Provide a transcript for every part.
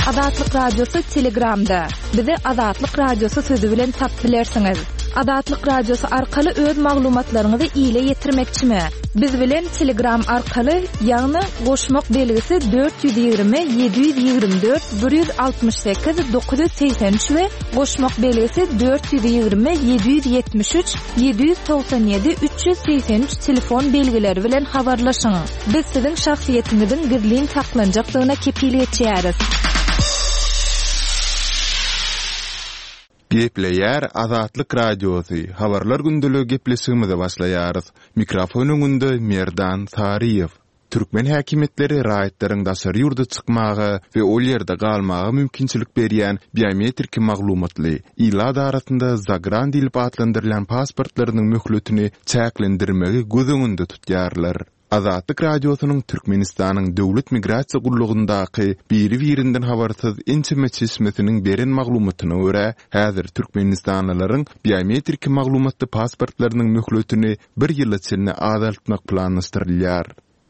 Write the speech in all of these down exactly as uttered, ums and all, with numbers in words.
Azatlyk Radiosy Telegramda. Bizi Azatlyk Radiosy sözi bilen tapyp bilersiňiz. Azatlyk Radiosy arkaly öz maglumatlaryňyzy ile ýetirmekçimi? Biz bilen Telegram arkaly, ýagny goşmak belgisi dört ýüz ýigrimi ýedi ýüz ýigrimi dört bir ýüz altmyş sekiz dokuz ýüz segsen üç we goşmak belgisi dört ýüz ýigrimi ýedi ýüz ýetmiş üç ýedi ýüz togsan ýedi üç ýüz segsen üç telefon belgileri bilen habarlaşyň. Biz siziň şahsyýetiňiziň gizlin saklanjakdygyna kepil geçýäris. Gepleýär Azatlyk Radiosy, Habarlar gündeligi gepleşigimize başlaýarys. Mikrofon öňünde Merdan Saryýew. Türkmen häkimiýetleri raýatlaryň daşary ýurda çykmaga we ol ýerde galmaga mümkinçilik berýän biometrik maglumatly, ilat arasynda zagran diýlip atlandyrylýan pasportlarynyň möhletini çäklendirmegi göz öňünde tutýarlar. Azatlyk Radiosynyň Türkmenistanyň Döwlet migrasiýa gullugyndaky biri-birinden habarsyz ençeme çeşmesiniň beren maglumatyna görä, häzir türkmenistanlylaryň biometrik maglumatly pasportlarynyň möhletini bir ýyla çenli azaltmak planlaşdyrylýar.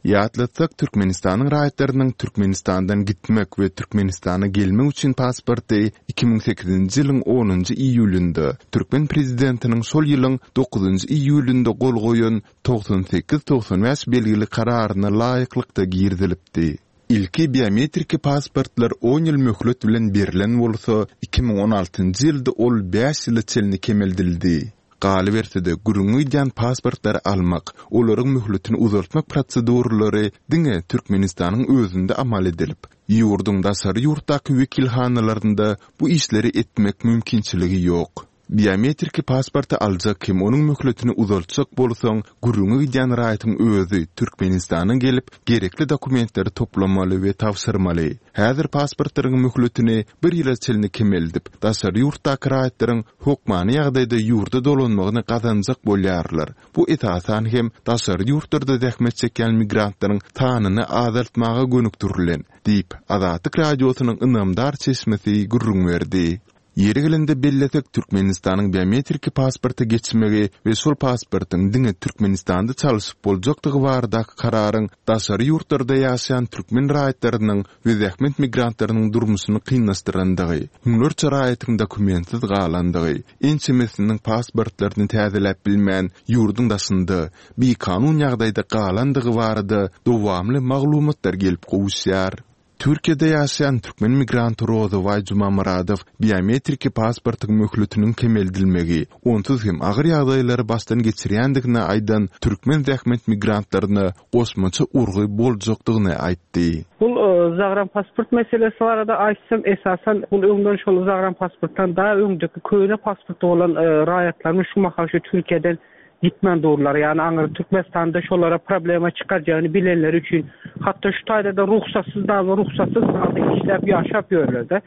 Ýatlatsak, Türkmenistanyň raýatlarynyň Türkmenistandan gitmek we Türkmenistana gelmek üçin pasporty iki müň sekizinji ýylyň onunjy iýulynda, türkmen prezidentiniň şol ýylyň dokuzynjy iýulynda gol goýan togsan sekiz togsan bäş belgili kararyna laýyklykda girizilipdi. Ilki biometriki pasportlar on ýyl möhlet bilen berlen bolsa, iki müň on altynjy ýylda ol bäş ýyla çenli kemeldildi. Galyberse-de, gürrüňi gidýän pasportlary almak, olaryň möhletini uzaltmak proseduralary diňe Türkmenistanyň özünde amal edilip, ýurduň daşary ýurtdaky wekilhanalarynda bu işleri etmek mümkinçiligi ýok. Biometriki pasporty aljak hem onuň möhletini uzaltjak bolsaň, gürrüňi gidýän raýatyň özi Türkmenistana gelip, gerekli dokumentleri toplamaly we tabşyrmaly. Häzir pasportlaryň möhletini bir ýyla çenli kemeldip, daşary ýurtdaky raýatlaryň hökmany ýagdaýda ýurda dolanmagyny gazanjak bolýarlar. Bu esasan hem daşary ýurtlarda zähmet çekýän migrantlaryň sanyny azaltmaga gönükdirilen, diýip, Azatlyk Radiosynyň ynamdar çeşmesi gürrüň berdi. Ýeri gelende bellesek, Türkmenistanyň biometriki pasporta geçmegi we şol pasportyň diňe Türkmenistanda çalşyp boljakdygy baradaky kararyň daşary ýurtlarda ýaşaýan türkmen raýatlarynyň we zähmet migrantlarynyň durmuşyny kynlaşdyrandygy, müňlerçe raýatyň dokumentsiz galandygy, ençemesiniň pasportlaryny täzeläp bilmän ýurduň daşynda bikanun ýagdaýda galandygy barada dowamly maglumatlar gelip gowuşýar. Türkiýede ýaşaýan türkmen migranty Rozybaý Jumamyradow biometriki pasportyň möhletiniň kemeldilmegi, onsuz hem agyr ýagdaýlary başdan geçirýändigini aýdan türkmen zähmet migrantlaryna goşmaça urgy boljakdygyny aýtdy. Bu zagran pasport meselesi barada aýtsam, esasan bu öňden şol zagran pasportdan daha öňdeki köne pasporty bolan, e, raýatlaryň şu mahal şu Türkiýeden gitmän durlar. Yani aňry Türkmenistanda şolara problema çykarjagyny bilenler üçin hatda şu taýda da ruhsatsyz da ruhsatsyz halda işläp ýaşap ýörler-de.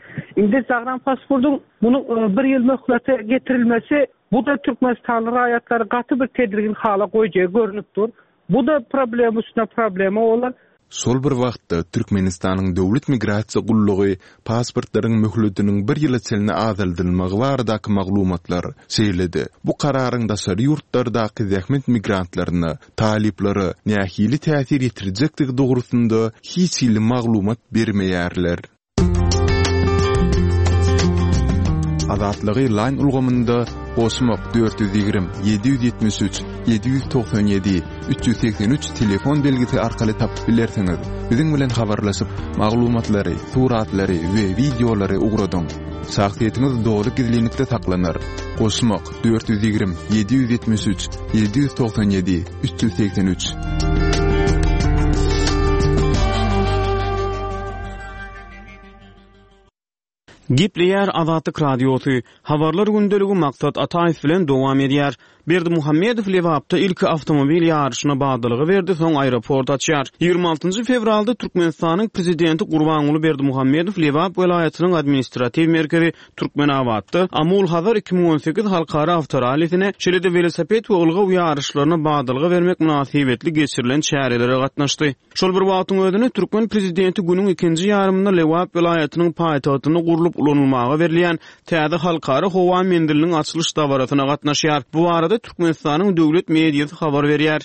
Indi zagran pasportyň munuň, e, bir ýyl möhlete getirilmesi bu da Türkmenistanly raýatlary gaty bir tedirgin hala goýjagy görünip dur. Bu da problema üstüne problema bolar. Şol bir wagtda Türkmenistanyň Döwlet migrasiýa gullugy pasportlaryň möhletiniň bir ýyla çenli azaldylmagy baradaky maglumatlar, şeýle-de bu kararyň daşary ýurtlardaky zähmet migrantlaryna, talyplara nähili täsir ýetirjekdigi dogrusynda hiç hili maglumat bermeýärler. Azatlygy line ulgamynda goşmak dört ýüz ýigrimi, ýedi ýüz ýetmiş üç, ýedi ýüz togsan ýedi, üç ýüz segsen üç telefon belgisi arkaly tapyp bilersiňiz. Biziň bilen habarlaşyp, maglumatlary, suratlary we wideolary ugradyň. Şahsyýetiňiz doly gizlinlikde saklanar. Goşmak dört ýüz ýigrimi, ýedi ýüz ýetmiş üç, ýedi ýüz togsan ýedi, üç ýüz segsen üç. Gepleýär Azatlyk Radiosy. Habarlar gündeligi Maksat Ataýew bilen dowam edýär. Berdimuhamedow Lebapda ilki awtomobil ýaryşyna badalga berdi, soň aeroport açýar. Ýigrimi altynjy fewralda Türkmenistanyň prezidenti Gurbanguly Berdimuhamedow Lebap welaýatynyň administratiw merkezi Türkmenabatda Amul Hazar iki müň on sekiz halkara awtorallisine, şeýle-de welosiped we ylgaw ýaryşlaryna badalga bermek mynasybetli geçirilen çärelere gatnaşdy. Şol bir wagtyň özünde türkmen prezidenti günüň ikinji ýarymynda Lebap welaýatynyň paýtagtynda gurlup ulanylmaga berilýän täze halkara howa menziliniň açylyş dabarasyna gatnaşýar. Bu barada Türkmenistanyň döwlet mediasy habar berýär.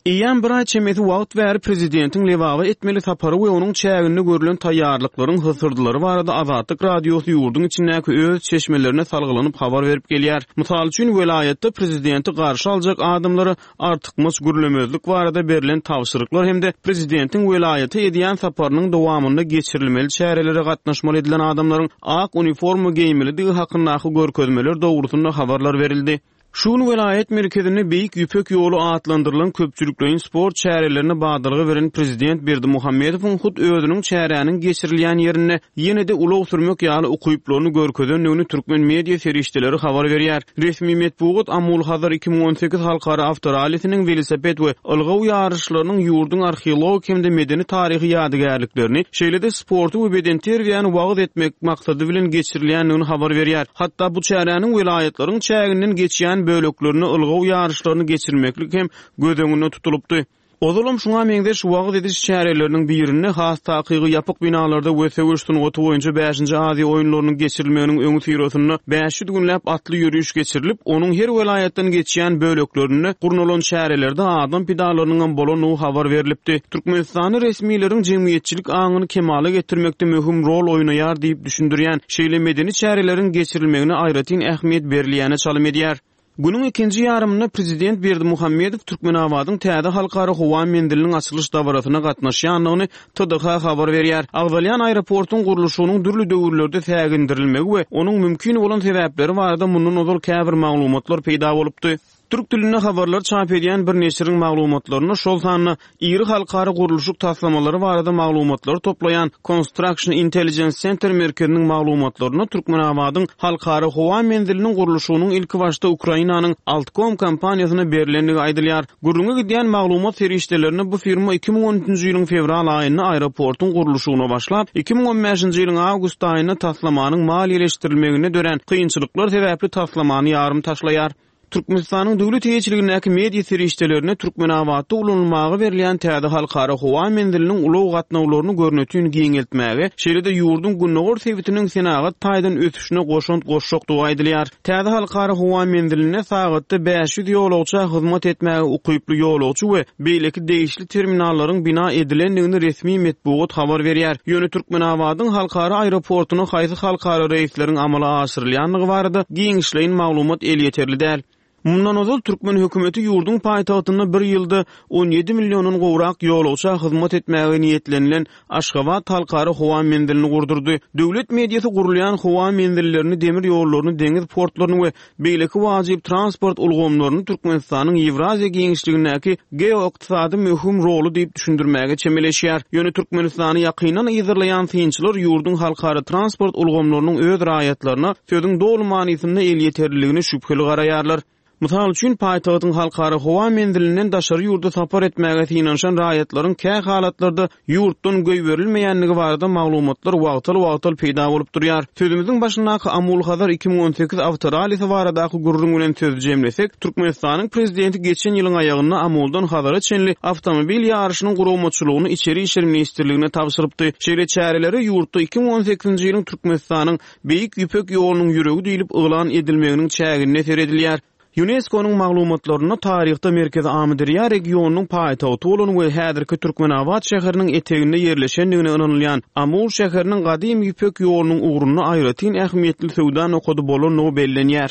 Eýýäm bir aý çemesi wagt bäri prezidentiň Lebaba etmeli sapary we onuň çäginde görlen taýýarlyklaryň hysyrdylary barada Azatlyk Radiosy ýurduň içindäki öz çeşmelerine salgylanyp habar berip gelýär. Mysal üçin, welaýatda prezidenti garşy aljak adamlara artykmaç gürlemezlik barada berlen tabşyryklar hem-de prezidentiň welaýata edýän saparynyň dowamynda geçirilmeli çärelere gatnaşmaly edilen adamlaryň ak uniforma geýmelidigi hakyndaky görkezmeler dogrusynda habarlar berildi. Şu gün welaýat merkezinde Beýik Ýüpek ýoly atlandyrylan köpçülikleýin sport çärelerine badalga beren prezident Berdimuhamedowyň hut özüniň çäräniň geçirilýän ýerinde ýene-de ulag sürmek ýaly ukyplaryny görkezendigini türkmen media serişdeleri habar berýär. Resmi metbugat Amul-Hazar iki müň on sekiz halkara awtorallisiniň welosiped we ylgaw ýaryşlarynyň ýurduň arheologik hem-de medeni-taryhy ýadygärliklerini, şeýle-de sporty we bedenterbiýäni wagyz etmek maksady bilen geçirilýändigini habar berýär. Hatda bu çäräniň welaýatlaryň çäginden geçýän böleklerine ylgaw ýaryşlaryny geçirmeklik hem göz öňünde tutulypdy. Ozalam şuňa meňzeş wagyz ediş çäreleriniň birinde has takygy ýapyk binalarda we söweş sungaty boýunça bäşinji Aziýa oýunlarynyň geçirilmeginiň öňüsyrasynda bäş ýüz günläp atly ýöriş geçirilip, onuň her welaýatdan geçýän böleklerinde gurnalan çärelerde adam pidalarynyň hem bolandygy habar berlipdi. Türkmenistanda resmileriň jemgyýetçilik aňyny kemala getirmekde möhüm rol oýnaýar diýip düşündirýän şeýle medeni çäreleriň geçirilmegine aýratyn ähmiýet berilýäne çalym edýär. Günüň ikinji ýarymynda prezident Berdimuhamedow Türkmenabadyň täze halkara howa menziliniň açylyş dabarasyna gatnaşýandygyny T D H habar berýär. Agzalýan aeroportuň gurluşygynyň dürli döwürlerde sägindirilmegi we onuň mümkin bolan sebäpleri barada mundan ozal käbir maglumatlar peýda bolupdy. Türk dilinde habarlar çap edýän bir neşiriň maglumatlaryny, şol sanda iri halkara gurluşyk taslamalary barada maglumatlary toplaýan Construction Intelligence Center merkeziniň maglumatlaryny Türkmenabadyň halkara howa menziliniň gurluşygynyň ilki başda Ukrainanyň Altcom kompaniýasyna berilendigi aýdylýar. Gürrüňe gidýän maglumat serişdelerini bu firma iki müň on üçünji ýylyň fewral aýynda aeroportuň gurluşygyna başlap, iki müň on bäşinji ýylyň awgust aýynda taslamanyň maliýeleşdirilmeginde dörän kynçylyklar sebäpli taslamany ýarym taşlaýar. Türkmenistanyň döwlet eýeçiligindäki media serişdelerine Türkmenabatda ulanylmaga berilýän täze halkara howa menziliniň ulag gatnawlaryny görnütün giňeltmäge, şeýle-de ýurduň gündogar sebitiniň senagat taýdan ösüşine goşant goşjakdygy aýdylýar. Täze halkara howa menziline sagatda bäş ýüz ýolagça hyzmat etmäge ukyply ýolagçy we beýleki degişli terminallaryň bina edilendigini resmi metbugat habar berýär. Ýöne Türkmenabadyň halkara aeroportuna haýsy halkara reýsleriň amala aşyrylýandygy barada giňişleýin maglumat elýeterli däl. Mundan ozal türkmen hökümeti ýurduň paýtagtynda bir ýylda on ýedi milliondan gowrak ýolagça hyzmat etmäge niýetlenilen Aşgabat halkara howa menzilini gurdurdy. Döwlet mediasy gurulýan howa menzillerini, demir ýollaryny, deňiz portlaryny we beýleki wajyp transport ulgamlaryny Türkmenistanyň Ýewraziýa giňişligindäki geoykdysady möhüm roly diýip düşündirmäge çemeleşýär. Ýöne Türkmenistany ýakyndan yzarlaýan synçylar ýurduň halkara transport ulgamlarynyň öz raýatlaryna sözüň doly manysynda elýeterliligini şübheli garaýarlar. Mysal üçin, paýtagtyň halkara howa menzilinden daşary ýurda sapar etmäge synanyşan raýatlaryň kä halatlarda ýurtdan goýberilmeýändigi barada maglumatlar wagtal-wagtal peýda bolup durýar. Sözümiziň başyndaky Amul-Hazar iki müň on sekiz awtorallisi baradaky gürrüň bilen söz jemlesek, Türkmenistanyň prezidenti geçen ýylyň aýagynda Amuldan Hazara çenli awtomobil ýaryşynyň guramaçylygyny Içeri İşler Ministrligine tabşyrypdy. Şeýle çäreleri ýurtda iki müň on sekizinji ýylyň Türkmenistanyň Beýik Ýüpek ýolunyň ýüregi diýlip yglan edilmeginiň çäginde seredilýär. UNESCO-nyň maglumatlarynda taryhda Merkezi Amyderýa regionynyň paýtagty bolan we häzirki Türkmenabat şäheriniň eteginde ýerleşendigine ynanylýan Amul şäheriniň gadym Ýüpek ýolunyň ugrunda aýratyn ähmiýetli söwda nokady bolandygy bellenýär.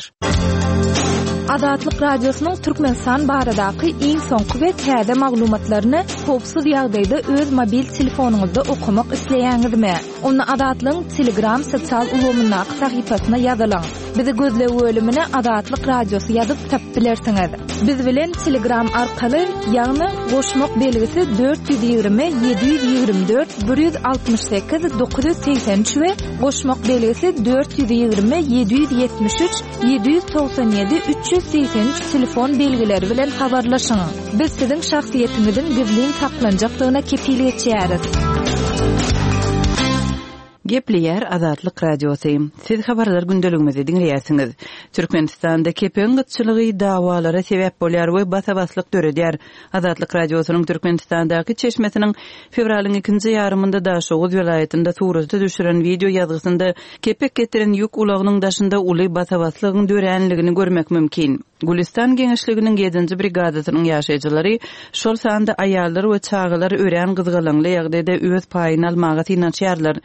Azatlyk Radiosynyň Türkmenistan baradaky iň soňky we täze maglumatlaryny howpsuz ýagdaýda öz mobil telefonyňyzda okamak isleýäňizmi? Onda Azatlygyň Telegram sosial ulgamyndaky sahypasyna ýazylyň. Bizi gözleg bölümine Azatlyk Radiosy ýazyp tapyp bilersiňiz. Biz bilen Telegram arkaly, ýagny goşmak belgisi dört ýüz ýigrimi, ýedi ýüz ýigrimi dört, bir ýüz altmyş sekiz, dokuz ýüz segsen üç we goşmak belgisi dört ýüz ýigrimi, ýedi ýüz ýetmiş üç, ýedi ýüz togsan ýedi, üç ýüz segsen üç telefon belgileri bilen habarlaşyň. Biz siziň şahsyýetiňiziň gizlin saklanjakdygyna kepil geçýäris. Gepleýär Azatlyk Radiosy. Siz habarlar gündeligimizi diňleýärsiňiz. Türkmenistanda kepegiň gytçylygy dawalara sebäp bolýar we basa-baslyk döredýär. Azatlyk Radiosynyň Türkmenistandaky çeşmesiniň fewralyň ikinji ýarymynda Daşoguz welaýatynda surata düşüren video ýazgysynda kepek getiren ýük ulagynyň daşynda uly basa-baslygyň döränligini görmek mümkin. Gülistan geňeşliginiň ýedinji brigadasynyň ýaşaýjylary, şol sanda aýallar we çagalar örän gyzgalaňly ýagdaýda öz paýyny almaga synanyşýarlar.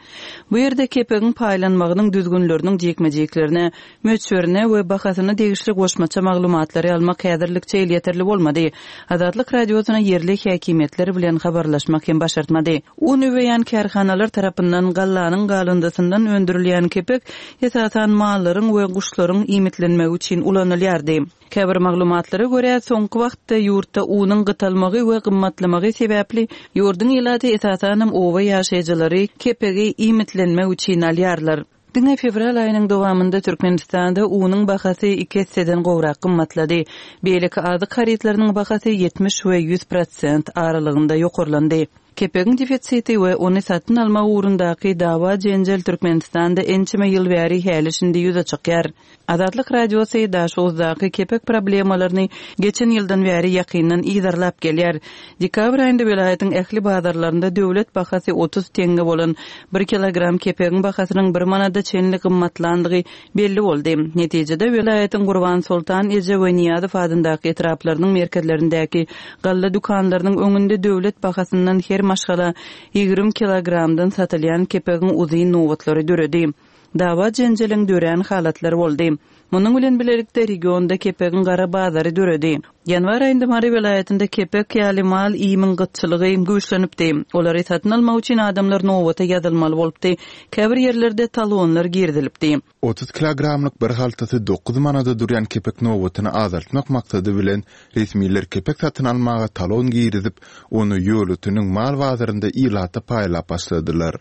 Bu ýerde kepegiň paýlanmagynyň düzgünleriniň jikme-jiklerine, möçberine we bahasyna degişli goşmaça maglumatlary almak häzirlikçe elýeterli bolmady. Azatlyk Radiosyna ýerli häkimiýetler bilen habarlaşmak hem başartmady. Un üweýän kärhanalar tarapyndan gallanyň galyndysyndan öndürilýän kepek esasan mallaryň we guşlaryň iýmitlenmegi üçin ulanylýardy. Käbir maglumatlara görä, soňky wagtda ýurtda unuň gytalmagy we gymmatlamagy sebäpli ýurduň ilaty esasanam oba ýaşaýjylary kepegi iýmitlenmek üçin alýarlar. Diňe fewral aýynyň dowamynda Türkmenistanda unuň bahasy iki esseden gowrak gymmatlady. Beýleki azyk harytlarynyň bahasy ýetmiş we ýüz prosent aralygynda ýokarlandy. Kepegiň defisiti we ony satyn almak ugrundaky dawa-jenjel Türkmenistanda ençeme ýyl bäri häli-şindi ýüze çykýar. Azatlyk Radiosy Daşoguzdaky kepek problemalaryny geçen ýyldan bäri ýakyndan yzarlap gelýär. Dekabr aýynda welaýatyň ähli bazarlarynda döwlet bahasy otuz teňňe bolan bir kilogram kepegiň bahasynyň bir manada çenli gymmatlandygy belli boldy. Netijede welaýatyň Gurbansoltan eje we Nyýazow adyndaky etraplarynyň merkezlerindäki galla dükanlarynyň öňünde döwlet bahasyndan her maşgala ýigrimi kilogramdan satylýan kepegiň uzyn nobatlary döredi. Dawa-jenjeliň dörän halatlary boldy. Munuň bilen bilelikde regionda kepegiň gara bazary döredi. Ýanwar aýynda Mary welaýatynda kepek ýaly mal iýimiň gytçylygy güýçlenipdi. Olary satyn almak üçin adamlar nobata ýazylmaly bolupdy. Käbir ýerlerde talonlar girizilipdi. Otuz kilogramlyk bir haltasy dokuz manada durýan kepek nobatyny azaltmak maksady bilen, resmiler kepek satyn almaga talon girizip, ony ýolöteniň mal bazarynda ilata paýlap başladylar.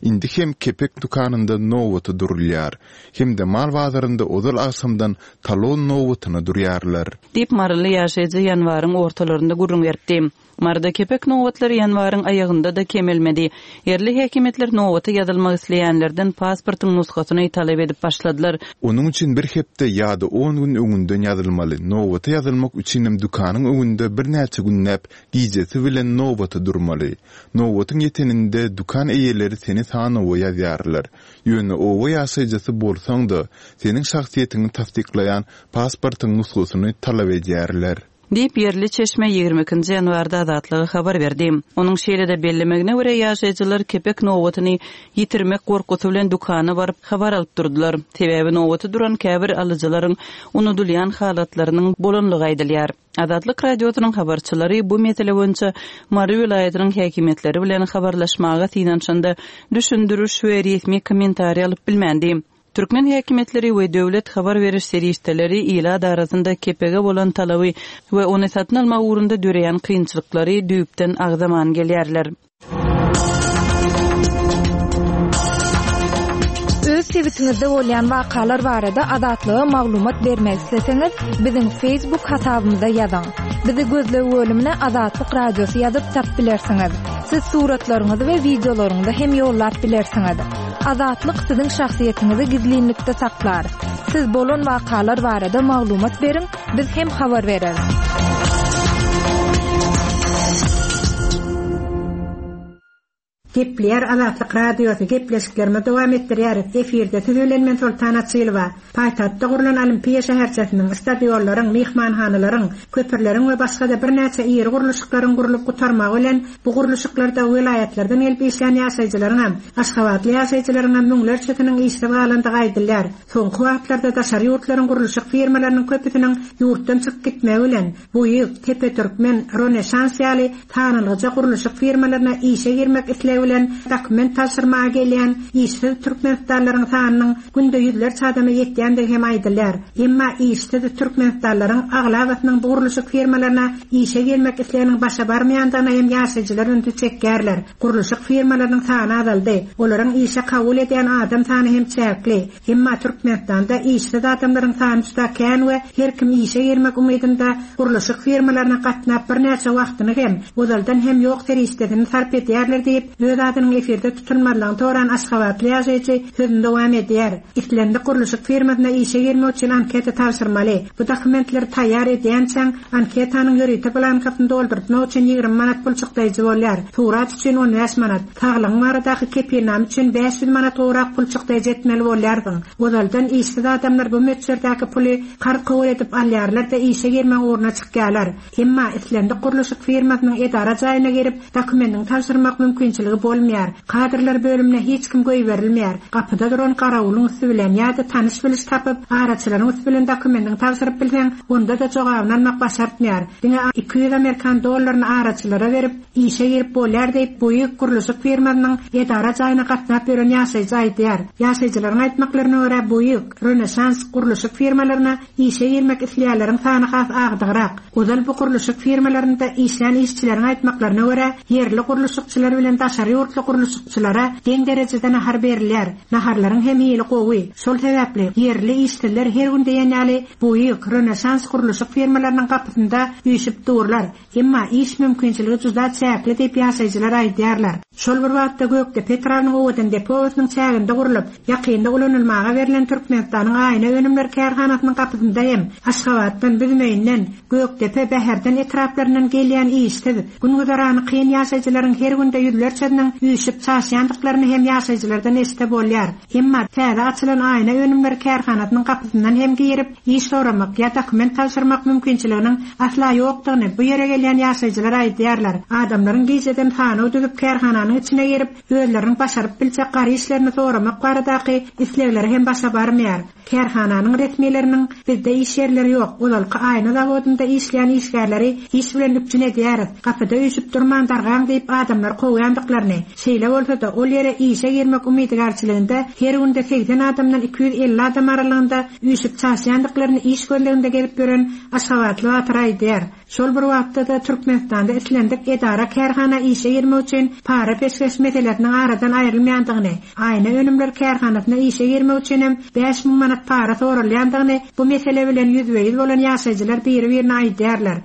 Indi hem kepek dükanynda nobata durulýar, hem-de mal bazarynda ozal agşamdan talon nobatyna durýarlar. Diýip, maryly ýaşaýjy ýanwaryň ortalarynda gürrüň beripdi. Maryda kepek nobatlary ýanwaryň aýagynda-da kemelmedi. Ýerli häkimiýetler nobata ýazylmak isleýänlerden pasportyň nusgasyny talap edip başladylar. Onuň üçin bir hepde ýa-da on gün öňünden ýazylmaly. Nobata ýazylmak üçinem dükanyň öňünde birnäçe günläp gijesi bilen nobata durmaly. Nobatyň ýeteninde dükan eýeleri seni sanawa ýazýarlar. Ýöne oba ýaşaýjysy bolsaň-da, seniň şahsyýetiňi tassyklaýan pasportyň nusgasyny talap edýärler. Diýip, ýerli çeşme ýigrimi ikinji ýanwarda Azatlyga habar berdi. Onuň şeýle-de bellemegine görä, ýaşaýjylar kepek nobatyny ýitirmek gorkusy bilen dükana baryp habar alyp durdular. Sebäbi nobata duran käbir alyjylaryň unudylýan halatlarynyň bolanlygy aýdylýar. Azatlyk Radiosynyň habarçylary bu mesele boýunça Mary welaýatynyň häkimiýetleri bilen habarlaşmaga synanyşanda düşündiriş we resmi kommentariý alyp bilmändi. Türkmen häkimiýetleri we döwlet habar beriş serişdeleri ilat arasynda kepege bolan talaby we ony satyn almak ugrunda döreýän kynçylyklary düýpden agzaman gelýärler. Öz sebitiňizde bolýan wakalar barada Azatlyga maglumat bermek isleseňiz, biziň Facebook hasabymyza ýazyň. Bizi gözleg bölümine Azatlyk Radiosy ýazyp tap bilersiňiz. Siz suratlaryňyzy we wideolaryňyzy hem ýollap bilersiňiz. Azatlyk siziň şahsyýetiňizi gizlinlikde saklar. Siz bolan wakalar barada maglumat beriň, biz hem habar bereris. Gepleýär Azatlyk Radiosy, gepleşiklerimizi dowam etdirýäris. Efirde siz bilen men Soltan Açylowa. Paýtagtda gurlan Olimpiýa şäherçesiniň, stadionlaryň, myhmanhanalaryň, köprüleriň we başga-da birnäçe iri gurluşyklaryň gurlup gutarmagy bilen bu gurluşyklarda welaýatlardan gelip işleýän ýaşaýjylaryň hem, Aşgabatly ýaşaýjylaryň hem müňlerçesiniň işsiz galandygy aýdylýar. Soňky wagtlarda daşary ýurtlaryň gurluşyk firmalarynyň köpüsiniň ýurtdan çykyp gitmegi bilen Buýuk, Tepe Türkmen, Rönesans ýaly tanalgyja gurluşyk firmalaryna işe girmek islegi bilen dokument tabşyrmaga gelýän işsiz Türkmenistanlylaryň sanynyň günde ýüzlerçe adama ýetýändigi hem aýdylýar. Emma işsiz Türkmenistanlylaryň aglabasynyň bu gurluşyk firmalaryna işe girmek isleginiň başa barmaýandygyna hem ýaşaýjylar ünsi çekýärler. Gurluşyk firmalarynyň sany azaldy. Olaryň işe kabul edýän adam sany hem çäkli. Emma Türkmenistanda işsiz adamlaryň sany juda kän we her kim işe girmek umydynda gurluşyk firmalaryna gatnap birnäçe wagtyny hem ozaldan hem ýok serişdesini sarp edýärler diýip, Öz adynyň efirde tutulmazlygyny soran aşgabatly ýaşaýjy sözüni dowam edýär. Islendik gurluşyk firmasyna işe girmek üçin anketa tabşyrmaly. Bu dokumentleri taýýar edýänçäň anketanyň ýörite blankasyny doldurtmak üçin ýigrimi manat pul çykdaýjy bolýar. Surat üçin on bäş manat, saglygyň baradaky kepilname üçin bäş ýüz manat gowrak pul çykdaýjy etmeli bolýarsyň. Ozaldan işsiz adamlar bu möçberdäki puly karz kabul edip alýarlar-da işe girmek ugruna çykýarlar. Emma islendik gurluşyk firmasynyň edara jaýyna girip dokumentiň tabşyrmak mümkinçiligi bolmaýar. Kadrlar bölümine hiç kim goýberilmeýär. Gapyda duran garawulyň üsti bilen ýa-da tanyş biliş tapyp, araçylaryň üsti bilen dokumentiň tabşyryp bilseň, onda da jogabyny almak başartmaýar. Diňe iki ýüz Amerikan dollaryny araçylara berip, işe girip bolýar diýip, Buýuk gurluşyk firmasynyň edara jaýyna gatnap ýören ýaşaýjy aýdýar. Ýaşaýjylaryň aýtmaklaryna görä Buýuk, Rönesans gurluşyk firmalaryna işe girmek isleýänleriň sany has agdygrak. Ozal bu gurluşyk firmalarynda işlän işçileriň aýtmaklaryna görä ýerli gurluşykçylar bilen daşary ýurtly gurluşykçylara deň derejede nahar berilýär. Naharlaryň hem ýyly gowy. Şol sebäpli ýerli işçiler her gün diýen ýaly Buýuk, Rönesans gurluşyk firmalarynyň gapysynda üýşüp durlar. Emma iş mümkinçiligi juda çäkli diýip ýaşaýjylar aýdýarlar. Şol bir wagtda Gökdepe etrabynyň Owadan deposynyň çäginde gurlup, ýakynda ulanylmaga berlen Türkmenistanyň aýna önümler kärhanasynyň gapysynda hem Aşgabatdan, Büzmeýinden, Gökdepe, Bäherden etraplaryndan gelýän işsiz, gün güzerany kyn ýaşaýjylaryň her günde ýüzlerçesiniň üýşüp çaşýandyklaryny hem ýaşaýjylardan eşide bolýar. Emma täze açylan aýna önümler kärhanasynyň gapysyndan hem girip, iş soramak ýa dokument tabşyrmak mümkinçiliginiň asla ýokdugyny bu ýere gelýän ýaşaýjylar aýdýarlar. Adamlaryň gijeden sanaw düzüp kärhananyň içine girip, özleriniň başaryp biljek gary işlerini soramak baradaky islegleri hem başa barmaýar. Kärhananyň resmileriniň bizde iş ýerleri ýok. Ozalky aýna zawodynda işleýän işgärleri iş bilen üpjün edýäris. Gapyda üýşüp durman dargaň diýip adamlar kowýandyklaryny, şeýle bolsa-da ol ýere işe girmek umydygarçylygynda her günde seksen adamdan iki ýüz elli adam aralygynda üýşüp çaşýandyklaryny iş gözleginde gelip ýören Aşgabatly Batyr aýdýar. Şol bir wagtda da Türkmenistanda islendik edara kärhana işe girmek üçin para peşgeş meselesiniň aradan aýrylmaýandygyny, aýna önümler kärhanasyna işe girmek üçin hem bäş müň manat para sorulýandygyny bu mesele bilen ýüzbe-ýüz bolan ýaşaýjylar biri-birine aýdýarlar.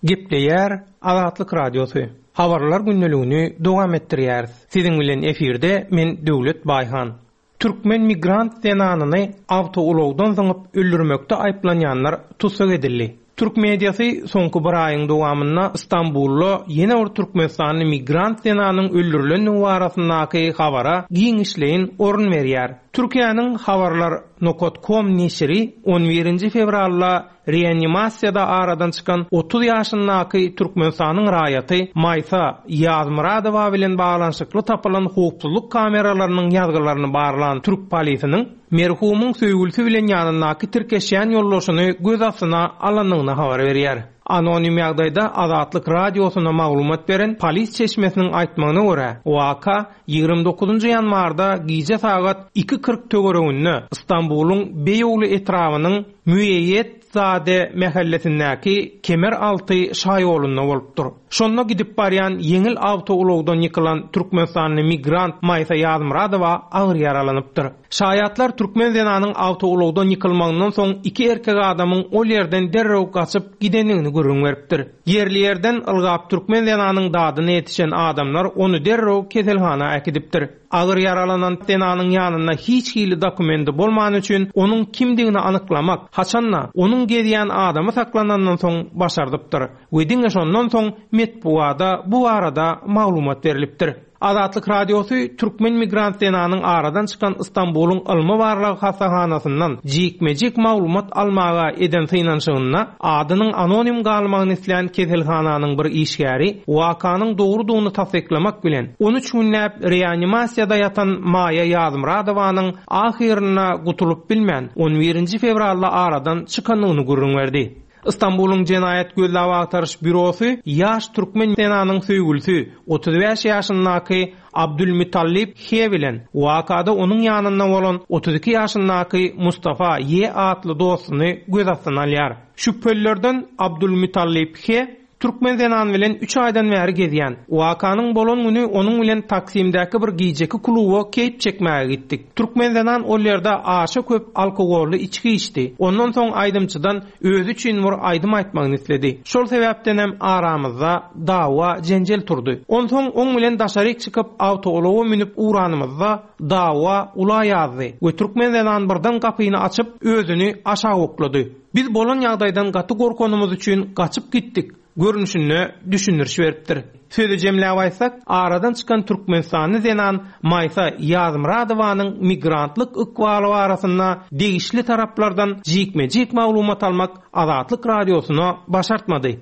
Gepleýär Azatlyk Radiosy. Habarlar gündeligini dowam etdirýäris. Siziň bilen efirde men Döwlet Baýhan. Türkmen migrant zenanyny awtoulagdan zyňyp öldürmekde aýyplanýanlar tussag edildi. Türk mediasy soňky bir aýyň dowamynda Istanbulda ýene bir Türkmenistanly migrant zenanyň öldürilendigi barasyndaky habara giňişleýin orun berýär. Türkiýäniň habarlar nokta com neşiri on birinji fewralda reanimasiýada aradan çykan otuz ýaşyndaky Türkmenistanyň raýaty Maýsa Ýazmyradowa bilen baglanyşykly tapylan howpsuzlyk kameralarynyň ýazgylaryny barlan türk polisiniň merhumyň söýgülisi bilen ýanyndaky tirkeşýän ýoldaşyny göz astyna alandygyny habar berýär. Anonim ýagdaýda Azatlyk radiosyna maglumat beren polis çeşmesiniň aýtmagyna görä, waka ýigrimi dokuzynjy ýanwarda gije sagat iki kyrk töwereginde Istanbulyň Beýogly etrabynyň Müeýýetzade mähellesindäki Kemer alty şaýolunda bolupdyr. Şonda gidip barýan ýeňil awtoulagdan ýykylan Türkmenistanly migrant Maýsa Ýazmyradowa agyr ýaralanypdyr. Şaýatlar türkmen zenanyň awtoulagdan ýykylmagyndan soň iki erkek adamyň ol ýerden derrew gaçyp gidendigini gürrüň beripdir. Ýerli ýerden ylgap türkmen zenanyň dadyna ýetişen adamlar ony derrew keselhana äkidipdir. Agyr ýaralanan zenanyň ýanynda hiç hili dokumenti bolmany üçin onuň kimdigini anyklamak, haçanda onuň gezýän adamy saklanandan soň başardypdyr we diňe şondan soň metbuada bu barada maglumat berilipdir. Azatlyk Radiosy türkmen migrant zenanyň aradan çykan Istanbulyň ylmy barlag hastahanasyndan jikme-jik maglumat almaga eden synanyşygynda adynyň anonim galmagyny islän keselhananyň bir işgäri wakanyň dogrudygyny tassyklamak bilen on üç günläp reanimasiýada ýatan Maýa Ýazmyradowanyň ahyryna gutulyp bilmän on birinji fewralda aradan çykandygyny gürrüň berdi. Istanbulyň Jenaýat Gözleg Agtaryş Bürosy ýaş türkmen zenanyň söýgülisi otuz bäş ýaşyndaky Abdülmutallib H bilen wakada onuň ýanynda bolan otuz iki ýaşyndaky Mustafa Y atly dostuny göz astyna alýar. Şübhelilerden Abdülmutallib H Türkmen zenan bilen üç aýdan bäri gezýän. Wakanyň bolan güni onuň bilen Taksimdäki bir gijeki kluba keýp çekmäge gitdik. Türkmen zenan ol ýerde aşa köp alkogolly içki içdi. Ondan soň aýdymçydan özi üçin bir aýdym aýtmagyny isledi. Şol sebäpden hem aramyzda dawa jenjel turdy. Onsoň oň bilen daşaryk çykyp awtoulaga münüp ugranymyzda dawa ula ýazdy we türkmen zenan birden gapyny açyp özüni aşağı oklady. Biz bolan ýagdaýdan gaty gorkanymyz üçin gaçyp gitdik. Görnüşinde düşündiriş beripdir. Sözi jemläp aýtsak, aradan çykan Türkmenistanly zenan Maýsa Ýazmyradowanyň migrantlyk ykbaly barasynda degişli taraplardan jikme-jik maglumat almak Azatlyk radiosyna başartmady.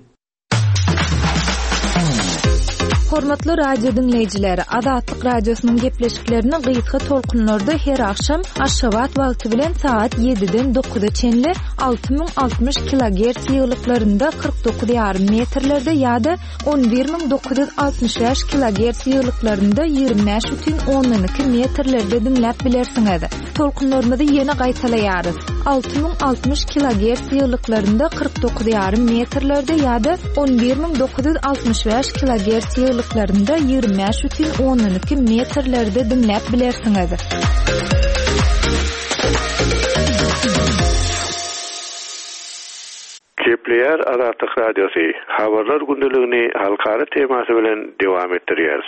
Hormatly radio dinleýjiler, Azatlyk radiosynyň gepleşiklerini gysga tolkunlarda her akşam Aşgabat wagty bilen saat ýediden dokuza çenli alty müň altmyş kilogertz ýyglyklarynda kyrk dokuz ýarym metrlerde ýa-da on bir müň dokuz ýüz altmyş bäş kilogertz ýyglyklarynda ýigrimi bäş bütin ondan iki metrlerde dinläp bilersiňiz. Tolkunlarymyzy ýene gaýtalaýarys. alty müň altmyş kilogertz ýyglyklarynda kyrk dokuz ýarym metrlerde ýa-da on bir müň dokuz ýüz altmyş bäş kilogertz ýyglyklarynda ýigrimi bäş bütin ondan iki metrlerde dinläp bilersiňiz. Gepleýär Azatlyk Radiosy habarlar gündeligini halkara temasy bilen dowam etdirýär.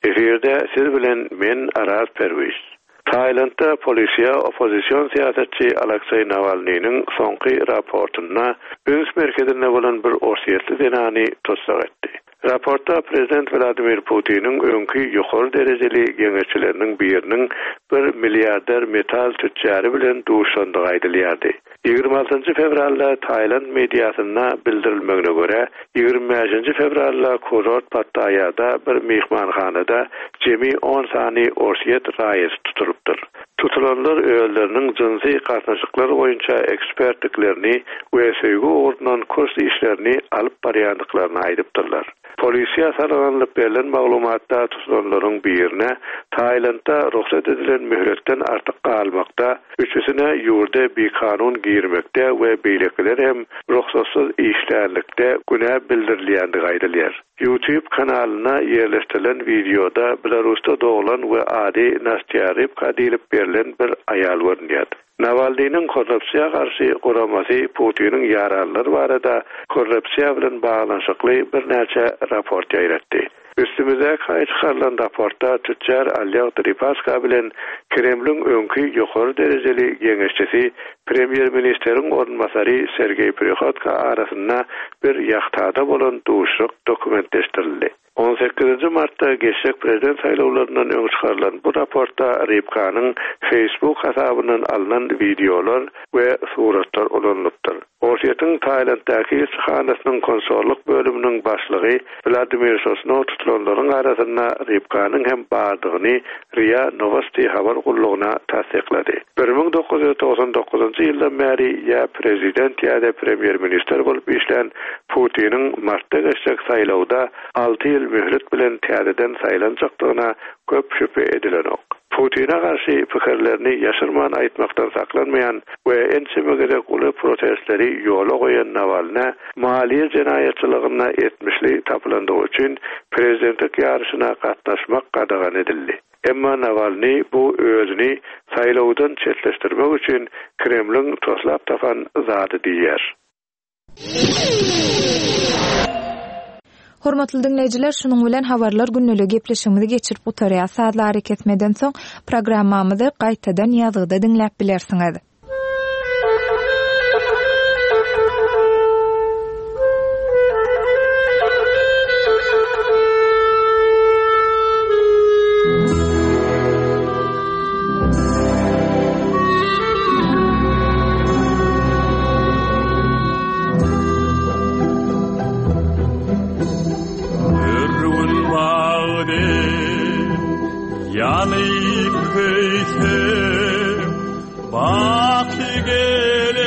Efirde siz bilen men Araz Perwiz. Taylandda polisiýa oppozision syýasatçy Aleksey Nawalnynyň soňky raportynda üns merkezinde bolan bir orsýetli zenany tussag etdi. Raportda Prezident Vladimir Putiniň öňki ýokary derejeli geňeşçileriniň biriniň bir milliarder metal tütjary bilen duşandygy aýdylýardy. Ýigrimi altynjy fewralda Tayland mediasynda bildirilmegine görä, ýigrimi bäşinji fewralda kurort Pattayada bir mehmanhanada jemi on sany orsýet raýaty tutulypdyr. Tutulanlar özleriniň jynsy gatnaşyklar boýunça ekspertliklerini we söýgi ugrundan kurs işlerini alyp barýandyklaryny aýdypdyrlar. Polisiýa salgylanyp berlen maglumatda tutulanlaryň birine Taylandda rugsat edilen mühletden artyk galmakda, üçüsine ýurda bikanun girmekde we beýlekiler hem rugsatsyz işlärlikde günä bildirilýändigi aýdylýar. YouTube kanalyna ýerleşdirilen wideoda Belarusda doglan we ady Nastya Rybka diýlip berlen bir aýal görünýär. Nawalnynyň korrupsiýa garşy guramasy Putiniň ýaranlary barada korrupsiýa bilen baglanyşykly birnäçe raport ýaýratdy. Üstümizde çykarylan raportda tütjar Oleg Deripaska bilen Kremliň öňki ýokary derejeli geňeşçisi Premýer-ministriň orunbasary Sergey Prihodko arasynda bir ýahtada bolan duşuşyk dokumentleşdirildi. On sekizinji martda geçjek prezident saýlawlaryndan öň çykarylan bu raportda Rybkanyň Facebook hasabyndan alynan wideolar we suratlar ulanylypdyr. Orsýetiň Taylanddaky ilçihanasynyň konsollyk bölüminiň başlygy Vladimir Sosnov tutulanlaryň arasynda Rybkanyň hem bardygyny R I A Novosti habar gullugyna tassyklady. Bir müň dokuz ýüz togsan dokuzynjy ýyldan bäri ýa prezident ýa-da premýer-ministr bolup işlän Putiniň martda geçjek saýlawda alty ýyl mühlet bilen täzeden saýlanjakdygyna köp şübhe edilenok. Putine garşy pikirlerini ýaşyrman aýtmakdan saklanmaýan we ençeme gezek uly protestleri ýola goýan Nawalny maliýe jenaýatçylygynda etmişli tapylandygy üçin prezidentlik ýaryşyna gatnaşmak gadagan edildi. Emma Nawalny bu özüni saýlawdan çetleşdirmek üçin Kremliň toslap tapan zady diýýär. Hormatly dinleýjiler, şunuň bilen habarlar günlügi gepleşigimizi geçirip gutarýar. Sazlary kesmeden soň programmamyzy gaýtadan ýazgyda diňläp bilersiňiz. Yanıp köysem, baki gel.